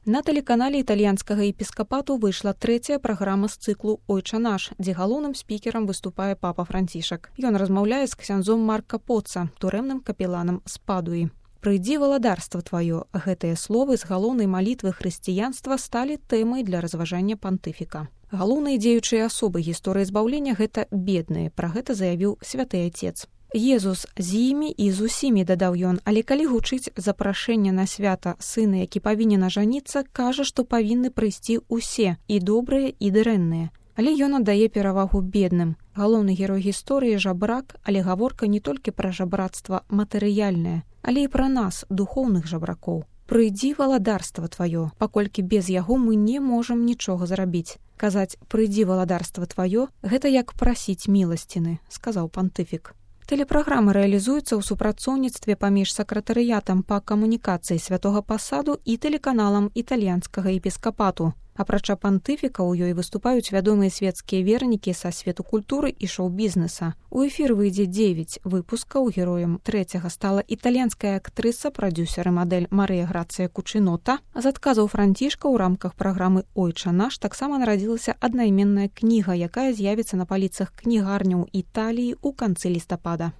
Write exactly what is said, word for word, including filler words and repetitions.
На тэлеканале італьянскага епіскапату выйшла трэцяя праграма з цыклу «Ойча наш», дзе галоўным спікерам выступае папа Францішак. Ён размаўляе з ксяндзом Марка Поца, турэмным капеланам з Падуі. «Прыйдзі валадарства тваё» – гэтыя словы з галоўнай малітвы хрысціянства сталі тэмай для разважання пантыфіка. Галоўныя дзеючыя асобы гісторыі збаўлення – гэта бедныя, пра гэта заявіў святы Ацец. Езус з імі і з усімі, дадаў ён, але калі гучыць запрашэнне на свята сына, які павінен ажаніцца, кажа, што павінны прыйсці ўсе, і добрыя, і дрэнныя. Але ён аддае перавагу бедным. Галоўны герой гісторыі – жабрак, але гаворка не толькі пра жабрацтва матэрыяльнае, але і пра нас, духоўных жабракоў. «Прыйдзі валадарства тваё», паколькі без яго мы не можам нічога зрабіць. Казаць «прыйдзі валадарства тваё» – гэта як прасіць міласціны, сказаў пантыфік. Тэлепраграма рэалізуецца ў супрацоўніцтве паміж сакратарыятам па камунікацыі святога пасаду і тэлеканалам італьянскага епіскапату. Апрача пантыфіка ў ёй выступаюць вядомыя свецкія вернікі са свету культуры і шоу-бізнеса. У эфір выйдзе дзевяць выпускаў. Героем трэцяга стала італьянская актрыса, прадзюсер і мадэль Марыя Грацыя Кучынота. З адказаў Францішка ў рамках праграмы «Ойча наш» таксама нарадзілася аднайменная кніга, якая з'явіцца на паліцах кнігарняў Італіі ў канцы лістапада.